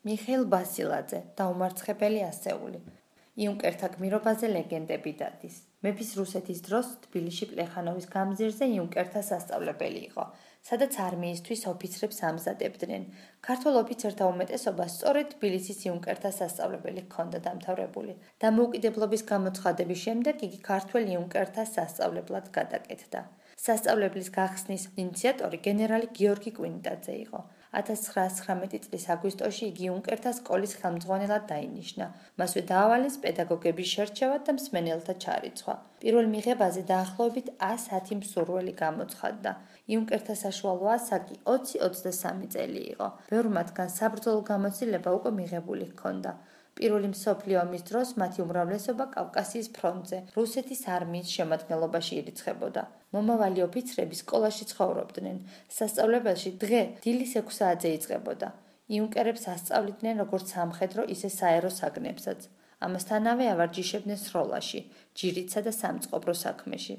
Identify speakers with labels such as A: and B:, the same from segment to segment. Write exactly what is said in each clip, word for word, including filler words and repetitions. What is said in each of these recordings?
A: მიხეილ ბასილაძე, დაუმარცხებელი ასეული. იუნკერთა გმირობაზე ლეგენდები დადის. მეფის რუსეთის დროს თბილისში პლეხანოვის გამზირზე იუნკერთა სასწავლებელი იყო, სადაც არმიისთვის ოფიცრებს ამზადებდნენ. ქართველ ოფიცერთა უმეტესობა სწორედ თბილისის იუნკერთა სასწავლებელი ჰქონდა დამთავრებული. დამოუკიდებლობის გამოცხადების შემდეგ იგი ქართველ იუნკერთა სასწავლებლად გადაკეთდა. სასწავლებლის გახსნის ინიციატორი გენერალი გიორგი კვინტაძე იყო. ათას ცხრაას ცხრამეტი წლის აგვისტოში იგი იუნკერთა სკოლის ხელმძღვანელად დაინიშნა. მასვე დაავალეს პედაგოგების შერჩევა და მსმენელთა ჩარიცხვა. პირველ მიღებაზე დაახლოებით ას ათი მსურველი გამოცხადდა. იუნკერთა საშუალო ასაკი ოცი ოცდასამი წელი იყო. ბევრ მათგან საბრძოლო გამოცდილება უკვე მიღებული ჰქონდა. პირველი მსოფლიო ომის დროს მათი უმრავლესობა კავკასიის ფრონტზე, რუსეთის არმიის შემადგენლობაში ირიცხებოდა. მომავალი ოფიცრები სკოლაში ცხოვრობდნენ. სასწავლებელში დღე დილის ექვს საათზე იწყებოდა. იუნკერებს ასწავლიდნენ როგორც სამხედრო, ისე საერო საგნებსაც. ამასთანავე ავარჯიშებდნენ სროლაში, ჯირითსა და სამწყობრო საქმეში.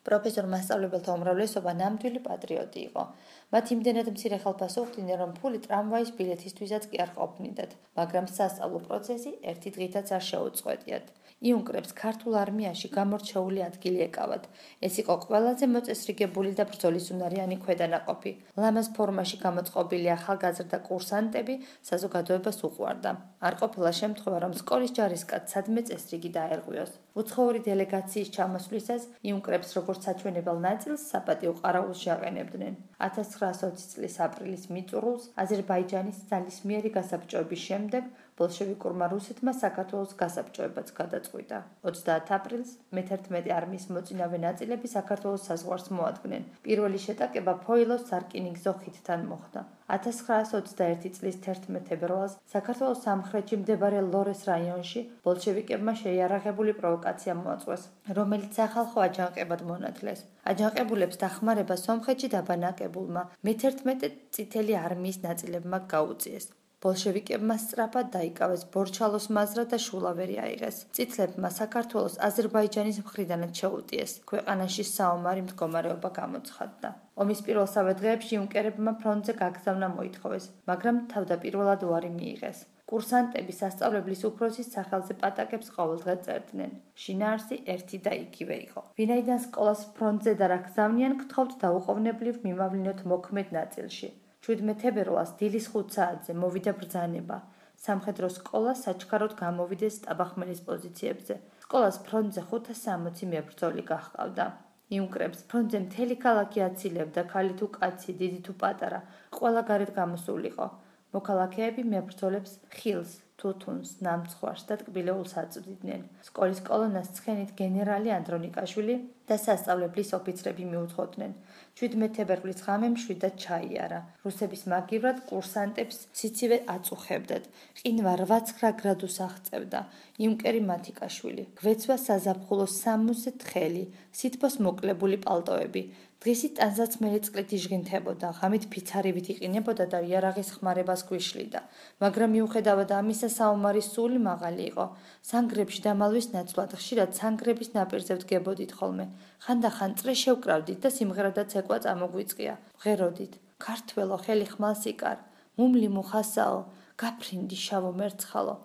A: პროფესორ მასწავლებელთა უმრავლესობა ნამდვილი პატრიოტი იყო. მათ იმდენად მცირე ხელფასო უხდიდნენ, რომ ფული ტრამვაის ბილეთისთვისაც კი არ ყოფნიდათ, მაგრამ სასწავლო პროცესი ერთი დღითაც არ შეუწყვეტიათ. იუნკერებს ქართულ არმიაში გამორჩეული ადგილი ეკავათ. ეს იყო ყველაზე მოწესრიგებული და ბრძოლისუნარიანი ქვედანაყოფი. ლამაზ ფორმაში გამოწყობილი ახალგაზრდა კურსანტები საზოგადოებას უყვარდა. არ ყოფილა შემთხვევა, რომ სკოლის ჯარისკაც სადმე წესრიგი დაერღვიოს. უცხოური დელეგაციის ჩამოსვლისას იუნკერებს როგორც საჩვენებელ ნაწილს საპატიო ყარაულში აყენებდნენ. ათას ცხრაას ოცი წლის აპრილის მიწურულს აზერბაიჯანის ძალისმიერი გასაბჭოების შემდეგ ბოლშევიკურმა რუსეთმა საქართველოს გასაბჭოებაც გადაწყვიტა. ოცდაათ აპრილს მეთერთმეტე არმიის მოწინავე ნაწილები საქართველოს საზღვარს მოადგნენ. პირველი შეტაკება ფოილოს სარკინიგზო ხიდთან მოხდა. ათას ცხრაას ოცდაერთი წლის თერთმეტ თებერვალს საქართველოს სამხრეთში მდებარე ლორეს რაიონში ბოლშევიკებმა შეიარაღებული პროვოკაცია მოაწყვეს, რომელიც სახალხო აჯანყებად მონათლეს. აჯანყებულებს დახმარება სომხეთში დაბანაკებულმა მეთერთმეტე წითელი არმიის ნაწილებმა გაუწიეს. ბოლშევიკებმა სწრაფად დაიკავეს ბორჩალოს მაზრა და შულავერი აიღეს. წითლებმა საქართველოს აზერბაიჯანის მხრიდანაც შეუტიეს. ქვეყანაში საომარი მდგომარეობა გამოცხადდა. ომის პირველსავე დღეებში იუნკერებმა ფრონტზე გაგზავნა მოითხოვეს, მაგრამ თავდაპირველად უარი მიიღეს. კურსანტები სასწავლებლის უფროსის სახელზე პატაკებს ყოველდღე წერდნენ. შინაარსი ერთი და იგივე იყო. ვინაიდან სკოლას ფრონტზე და რა გზავნიან, გთხოვთ დაუყოვნებლივ მიმავლინოთ მოქმედ ნაწილში. შვიდმეტ თებერვალს დილის ხუთ საათზე მოვიდა ბრძანება. სამხედრო სკოლა საჩქაროდ გამოვიდეს სტაბახმელის პოზიციებზე. სკოლას ფრონტზე ხუთას სამოცი მებრძოლი გაჰყავდა. იუნკერებს ფრონტზე მთელი ქალაქი აცილებდა, ქალი თუ კაცი, დიდი თუ პატარა, ყველა გარეთ გამოსულიყო. მოქალაქეები მებრძოლებს ხილს, თუთუნს, ნამცხვარს და ტკბილეულს აწვდიდნენ. სკოლის კოლონას ცხენით გენერალი ანდრონიკაშვილი და სასწავლებლის ოფიცრები მიუძღოდნენ. შვიდმეტ თებერვლის ღამე მშვიდად ჩაიარა. რუსების მაგივრად კურსანტებს სიცივე აწუხებდათ. ყინვა რვა ცხრა გრადუსს აღწევდა. იუნკერი მათიკაშვილი. გვეცვა საზაფხულოს სამოცზე თხელი, სითბოს მოკლებული პალტოები. დღისით ტანსაცმელი წყლით იჟღინთებოდა, ღამით ფიცარივით იყინებოდა და იარაღის ხმარებას გვიშლიდა. მაგრამ მიუხედავად ამისა საომარი სული მაღალი იყო. სანგრებში დამალვის ნაცვლად ხშირად სანგრების ნაპირზე ვდგებოდით ხოლმე. ხანდახან წრე შევკრავდით და სიმღერადაც ეკვა წამოგვიწყია. ვღეროდით: ქართველო, ხელი ხმალს იკარ, მუმლი მუხასაო, გაფრინდი შავო მერცხალო.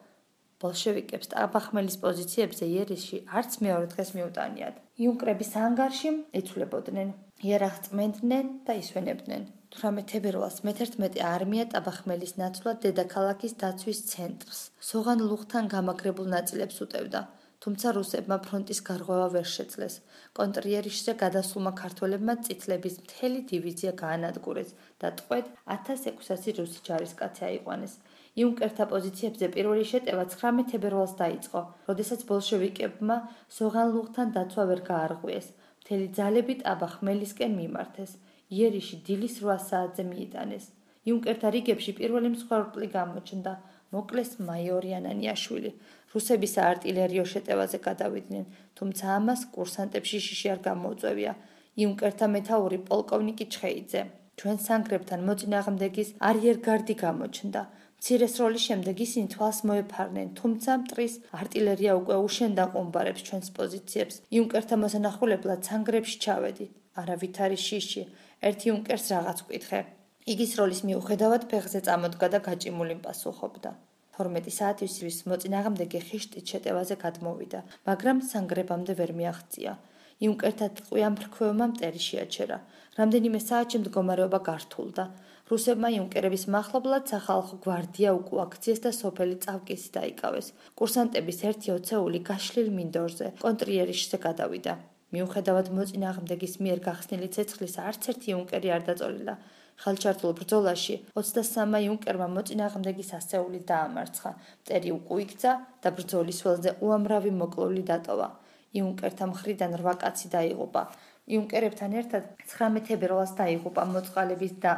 A: ბოლშევიკებს სტაბახმელის პოზიციებზე იერიში არც მეორე დღეს მიუტანიათ. იუნკერების ანგარში იცვლებოდნენ. იარაღს წმენდნენ და ისვენებდნენ. თვრამეტ თებერვალს მეთერთმეტე არმია ტაბახმელის ნაცვლად დედაქალაქის დაცვის ცენტრს, სოღან ლუღთან გამაგრებულ ნაწილებს უტევდა. თუმცა რუსებმა ფრონტის გარღვევა ვერ შეძლეს. კონტრიერიშზე გადასულმა ქართველებმა წითლების მთელი დივიზია გაანადგურეს და ტყვედ ათას ექვსასი რუსი ჯარისკაცი აიყვანეს. იუნკერთა პოზიციებზე პირველი შეტევა ცხრამეტ თებერვალს დაიწყო, როდესაც ბოლშევიკებმა სოღან ლუღთან დაცვა ვერ გაარღვიეს. მთელი ძალები ტაბახმელისკენ მიმართეს. იერიში დილის რვა საათზე მიიტანეს. იუნკერთა რიგებში პირველი მსხვერპლი გამოჩნდა. მოკლეს მაიორი ანანიაშვილი. რუსები საარტილერიო შეტევაზე გადავიდნენ, თუმცა ამას კურსანტებში შიში არ გამოუწევია. იუნკერთა მეთაური პოლკოვნიკი ჩხეიძე. ჩვენ სანგრებთან მოწინააღმდეგის არიერგარდი გამოჩნდა. მცირე სროლის შემდეგ ისინი თვალს მოეფარნენ, თუმცა მტრის არტილერია უკვე უშენდა ყუმბარებს ჩვენს პოზიციებს. იუნკერთა მოსანახულებლად სანგრებში ჩავედი. არავით არის შიში. ერთი იუნკერს რაღაც ვკითხე. იგი სროლის მიუხედავად ფეხზე წამოდგა და გაჭიმული პასუხობდა. თორმეტი საათისთვის მოწინააღმდეგე ხიშტით შეტევაზე გადმოვიდა, მაგრამ სანგრებამდე ვერ მიაღწია. იუნკერთა ტყვიან ფრქვევმა მტერი შეაჩერა. რამდენიმე საათში მდგომარეობა გართულდა. რუსებმა იუნკერების მახლობლად სახალხო გვარდია უკუაქციეს და სოფელი წავკისი დაიკავეს. კურსანტების ერთი ოცეული გაშლილ მინდორზე, კონტრიერიშზე გადავიდა. მიუხედავად მოწინააღმდეგის მიერ გახსნილი ცეცხლისა, არც ერთი იუნკერი არ დაწოლილა. ხელჩართულ ბრძოლაში ოცდასამმა იუნკერმა მოწინააღმდეგის ასეული დაამარცხა. მტერი უკუიქცა და ბრძოლის ველზე უამრავი მოკლული დატოვა. იუნკერთა მხრიდან რვა კაცი დაიღუპა. იუნკერებთან ერთად ცხრამე თებერვალს დაიღუპა მოწყალების და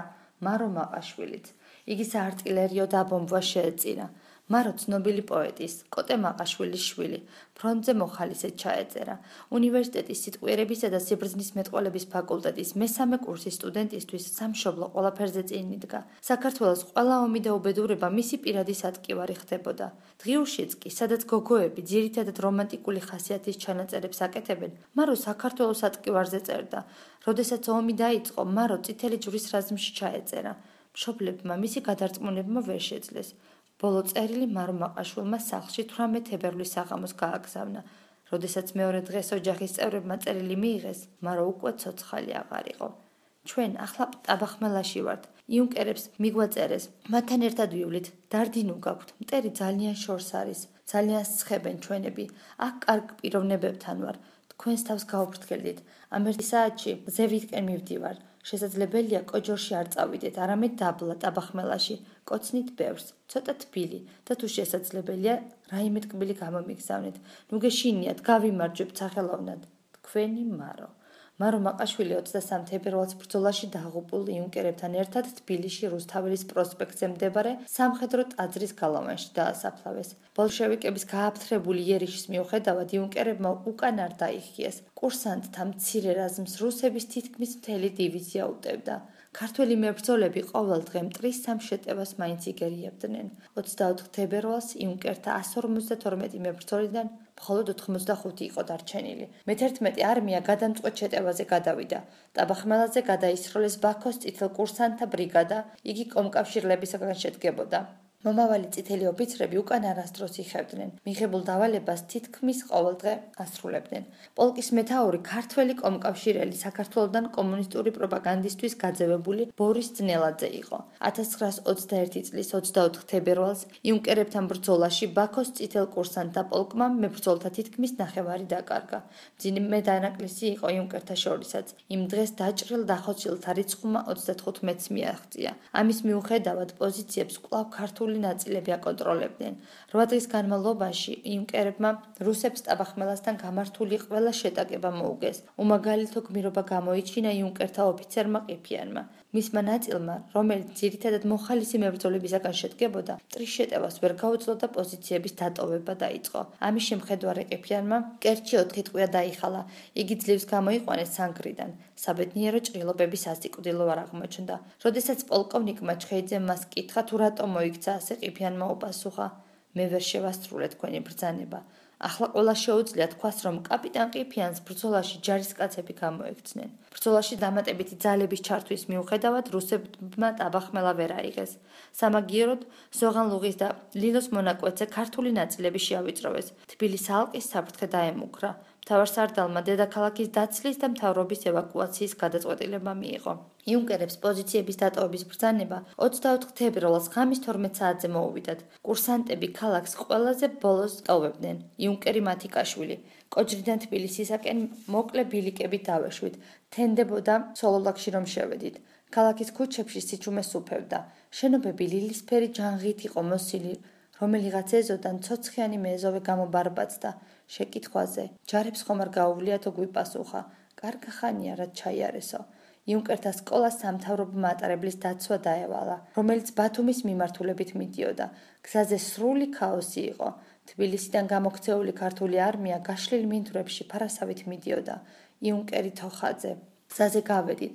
A: მარო მაყაშვილიც. იგი საარტილერიო დაბომბვა შეეწირა. მარო ცნობილი პოეტის, კოტე მაყაშვილის შვილი, ფრონტზე მოხალისედ ჩაეწერა. უნივერსიტეტის სიტყვიერებისა და სიბრძნის მეტყველების ფაკულტეტის მესამე კურსის სტუდენტისთვის სამშობლო ყველაფერზე წინ იდგა. საქართველოს ყველა ომი და უბედურება მისი პირადი სატკივარი ხდებოდა. დღიურშიც კი, სადაც გოგოები ძირითადად რომანტიკული ხასიათის ჩანაწერებს აკეთებენ, მარო საქართველოს სატკივარზე წერდა. როდესაც ომი დაიწყო, მარო წითელი ჯვრის რაზმში ჩაეწერა. მშობლებმა მისი გადარწმუნება ვერ შეძლეს. ბოლო წერილი მარო მაყაშვილმა სახლში თვრამეტ თებერვლის საღამოს გააგზავნა. როდესაც მეორე დღეს ოჯახის წევრებმა წერილი მიიღეს, მარო უკვე ცოცხალი აღარ იყო. ჩვენ ახლა ტაბახმელაში ვართ. იუნკერებს მიგვაწერეს. მათთან ერთად ვივლით. დარდინუ გაქვთ. მტერი ძალიან შორს არის. ძალიან სხებენ ჩვენები. აქ კარგ პიროვნებებთან ვარ. თქვენს თავს გაუფრთხილდით. ამ ერთი საათში ზევითკენ მივდივარ. შესაძლებელია კოჯორში არ წავიდეთ, არამედ დაბლა ტაბახმელაში. კოცნით ბევრს, ცოტა თბილი და თუ შესაძლებელია, რაიმე ტკბილი გამომიგზავნეთ. ნუ გეშინიათ, გავიმარჯვებთ სახელოვნად. თქვენი მარო. მარო მაყაშვილი ოცდასამ თებერვალს ბრძოლაში დაღუპულ იუნკერებთან ერთად თბილისში რუსთაველის პროსპექტზე მდებარე სამხედრო ტაძრის გალავანში დაასაფლავეს. ბოლშევიკების გააფთრებული იერიშის მიუხედავად იუნკერებმა უკან არ დაიხიეს. კურსანტთა მცირე რაზმს რუსების თითქმის მთელი დივიზია უტევდა. ქართველი მებრძოლები ყოველ დღე მტრის სამ შეტევას მაინც იგერიებდნენ. ოცდაოთხ თებერვალს იუნკერთა ასს ორმოცდათორმეტი მებრძოლიდან მხოლოდ ოთხმოცდახუთი იყო დარჩენილი. მეთერთმეტე არმია გადამწყვეტ შეტევაზე გადავიდა. ტაბახმელაზე გადაისროლეს ბაქოს წითელ კურსანტთა ბრიგადა, იგი კომკავშირლებისაგან შედგებოდა. მომავალი წითელი ოფიცრები უკან არასდროს იხევდნენ. მიღებულ დავალებას თითქმის ყოველდღე ასრულებდნენ. პოლკის მეთაური ქართველი კომკავშირელი საქართველოსთან კომუნისტური პროპაგანდისთვის გაძევებული ბორის ძნელაძე იყო. ათას ცხრაას ოცდაერთი წლის ოცდაოთხ თებერვალს იუნკერებთან ბრძოლაში ბაქოს წითელ კურსანტთა პოლკმა მებრძოლთა თითქმის ნახევარი დაკარგა. მძიმე დანაკლისი იყო იუნკერთა შორისაც. იმ დღეს დაჭრილ დახოცილთა რიცხვმა ოცდათხუთმეტს მიაღწია. ამის მიუხედავად პოზიციებს კვლავ ქართული ნაწილები აკონტროლებდნენ. რვა დღის განმავლობაში იუნკერებმა რუსებს ტაბახმელასთან გამართული ყველა შეტაკება მოუგეს. უმაგალითო გმირობა გამოიჩინა იუნკერთა ოფიცერმა ყიფიანმა. მისმა ნაწილმა, რომელიც ძირითადად მოხალისი მებრძოლებისაგან შედგებოდა, მტრის შეტევას ვერ გაუძლო და პოზიციების დატოვება დაიწყო. ამის შემხედვარე ყიფიანმა კერჩი ოთხი ტყვია დაიხალა. იგი ძლივს გამოიყვანეს სანგრიდან. საბედნიერო ჭრილობების ასიკვდილო არ აღმოჩნდა. როდესაც პოლკოვნიკმა ჩხეიძემ მას კითხა თუ რატომ მოიქცა ასე ყიფიანმა უპასუხა: მე ვერ შევასრულე თქვენი ბრძანება. ახლა ყველა შეუძლია თქვას, რომ კაპიტან ყიფიანს ბრძოლაში ჯარისკაცები გამოექცნენ. ბრძოლაში დამატებითი ძალების ჩართვის მიუხედავად რუსებმა ტაბახმელა ვერ აიღეს. სამაგიეროდ სოღანლუღის და ლილოს მონაკვეთზე ქართული ნაწილები შეავიწროვეს. თბილისის ალყის საფრთხე დაემუქრა. მთავარსარდალმა დედაქალაქის დაცლის და მთავრობის ევაკუაციის გადაწყვეტილება მიიღო. იუნკერებს პოზიციების დატოვების ბრძანება ოცდაოთხ თებერვალს ღამის თორმეტ საათზე მოუვიდათ. კურსანტები ქალაქს ყველაზე ბოლოს ტოვებდნენ. იუნკერი მათიკაშვილი. კოჯრიდან თბილისისაკენ მოკლე ბილიკებით დავეშვით. თენდებოდა სოლოლაკში რომ შევედით. ქალაქის ქუჩებში სიჩუმე სუფევდა. შენობები ლილისფერი ჯანღით იყო მოსილი. რომელიღაც ეზოდან ცოცხიანი მეზოვე გამობარბაცდა. შეკითხვაზე ჯარებს ხომ არ გაუვლიათო გვიპასუხა: კარგა ხანია რაც ჩაიარესო. იუნკერთა სკოლა სამთავრობო მატარებლის დაცვა დაევალა, რომელიც ბათუმის მიმართულებით მიდიოდა. გზაზე სრული ქაოსი იყო. თბილისიდან გამოქცეული ქართული არმია გაშლილ მინდვრებში ფარასავით მიდიოდა. იუნკერი თოხაძე: გზაზე გავედით.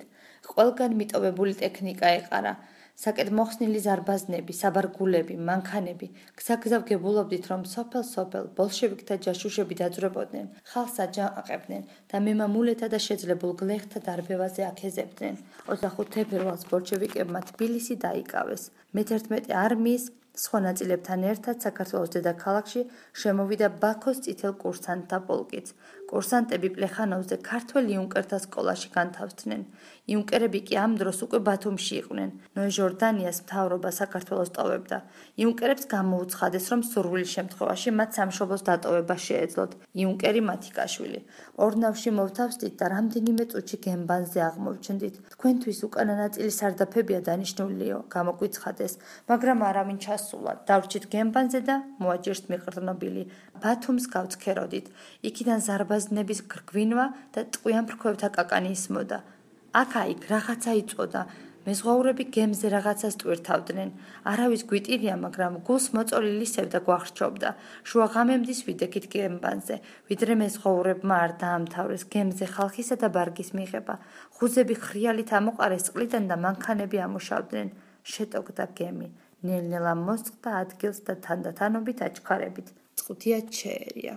A: ყველგან მიტოვებული ტექნიკა ეყარა. საკეთმოხსნილი ზარბაზნები, საბარგულები, მანქანები. გზაგზავ გებულობდით, რომ სოფელ-სოფელ ბოლშევიკთა ჯაშუშები დაძვრებოდნენ, ხალხს აჯანყებდნენ და მემამულეთა და შეძლებულ გლეხთა დარბევაზე აქეზებდნენ. ოცდახუთ თებერვალს ბოლშევიკებმა თბილისი დაიკავეს. მეთერთმეტე არმიის სხვა ნაწილებთან ერთად საქართველოს დედაქალაქში შემოვიდა ბაქოს წითელ კურსანტთა პოლკიც. კურსანტები პლეხანოვზე ქართველ იუნკერთა სკოლაში განთავსდნენ. იუნკერები კი ამ დროს უკვე ბათუმში იყვნენ. ნოე ჟორდანიას მთავრობა საქართველოს ტოვებდა. იუნკერებს გამოუცხადეს, რომ სურვილის შემთხვევაში მათ სამშობლოს დატოვება შეეძლოთ. იუნკერი მათიკაშვილი. ორნავში მოვთავსდით და რამდენიმე წუთში გემბანზე აღმოვჩნდით. თქვენთვის უკანა ნაწილი სარდაფებია დანიშნულიო, გამოგვიცხადეს, მაგრამ არავინ ჩასულა. დავრჩით გემბანზე და მოაჯერს მიყრდნობილი. ბათუმს გავცქეროდით. იქიდან ზარბაზნების გრგვინვა და ტყვიან ფრქვევთა კაკანი ისმოდა. აქა-იქ რაღაცა იწოდა. მეზღვაურები გემზე რაღაცას ტვირთავდნენ. არავის გვიტირია, მაგრამ გულს მოწოლილი სევდა გვახრჩობდა. შუა ღამემდის ვიდექით გემბანზე, ვიდრე მეზღვაურებმა არ დაამთავრეს გემზე ხალხისა და ბარგის მიღება. ხუზები ხრიალით ამოყარეს წყლიდან და მანქანები ამუშავდნენ. შეტოკდა გემი. ნელ-ნელა მოსწყდა ადგილს და თანდათანობით აჩქარებით. წყუთია ჩაერია.